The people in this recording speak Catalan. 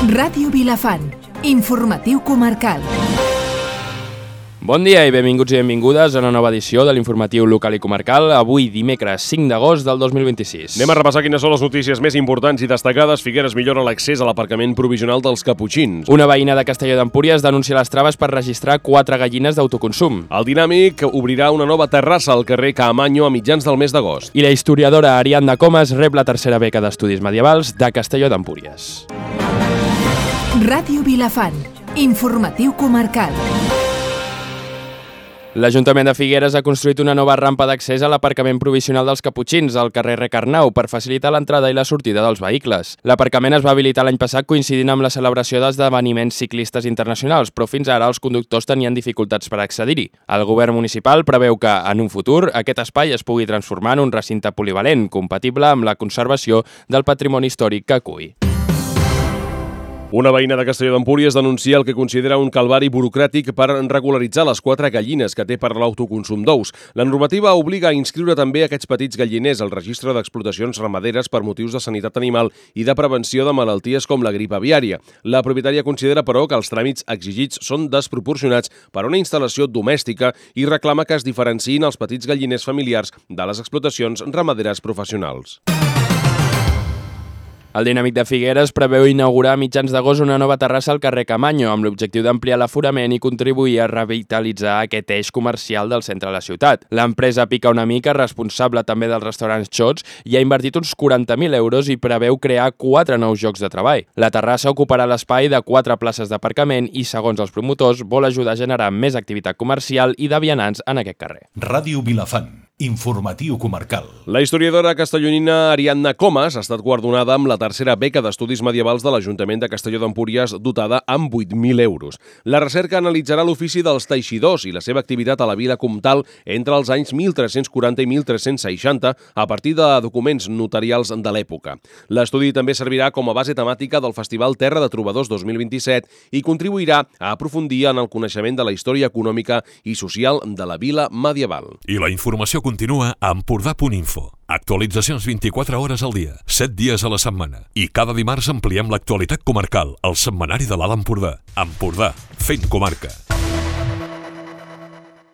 Ràdio Vilafant, informatiu comarcal. Bon dia i benvinguts i benvingudes a una nova edició de l'informatiu local i comarcal, avui dimecres 5 d'agost del 2026. Anem a repassar quines són les notícies més importants i destacades. Figueres millora l'accés a l'aparcament provisional dels Caputxins. Una veïna de Castelló d'Empúries denuncia les traves per registrar 4 gallines d'autoconsum. El Dinàmic obrirà una nova terrassa al carrer Caamaño a mitjans del mes d'agost. I la historiadora Ariadna Comas rep la tercera beca d'estudis medievals de Castelló d'Empúries. Ràdio Vilafant, informatiu comarcal. L'Ajuntament de Figueres ha construït una nova rampa d'accés a l'aparcament provisional dels Caputxins al carrer Recarnau per facilitar l'entrada i la sortida dels vehicles. L'aparcament es va habilitar l'any passat coincidint amb la celebració d'esdeveniments ciclistes internacionals, però fins ara els conductors tenien dificultats per accedir-hi. El govern municipal preveu que, en un futur, aquest espai es pugui transformar en un recinte polivalent, compatible amb la conservació del patrimoni històric que acull. Una veïna de Castelló d'Empúries denuncia el que considera un calvari burocràtic per regularitzar les 4 gallines que té per l'autoconsum d'ous. La normativa obliga a inscriure també aquests petits galliners al registre d'explotacions ramaderes per motius de sanitat animal i de prevenció de malalties com la grip aviària. La propietària considera, però, que els tràmits exigits són desproporcionats per a una instal·lació domèstica i reclama que es diferenciïn els petits galliners familiars de les explotacions ramaderes professionals. El Dinàmic de Figueres preveu inaugurar a mitjans d'agost una nova terrassa al carrer Caamaño amb l'objectiu d'ampliar l'aforament i contribuir a revitalitzar aquest eix comercial del centre de la ciutat. L'empresa Pica una mica, responsable també dels restaurants Xots, hi ha invertit uns 40.000 euros i preveu crear 4 nous llocs de treball. La terrassa ocuparà l'espai de 4 places d'aparcament i, segons els promotors, vol ajudar a generar més activitat comercial i de vianants en aquest carrer. Ràdio Vilafant, informatiu comarcal. La historiadora castellonina Ariadna Comas ha estat guardonada amb la tercera beca d'estudis medievals de l'Ajuntament de Castelló d'Empúries, dotada amb 8.000 euros. La recerca analitzarà l'ofici dels teixidors i la seva activitat a la vila comtal entre els anys 1340 i 1360 a partir de documents notarials de l'època. L'estudi també servirà com a base temàtica del Festival Terra de Trobadors 2027 i contribuirà a aprofundir en el coneixement de la història econòmica i social de la vila medieval. I la informació continua a empordà.info. Actualitzacions 24 hores al dia, 7 dies a la setmana. I cada dimarts ampliem l'actualitat comarcal al setmanari de l'Alt Empordà. Empordà, fent comarca.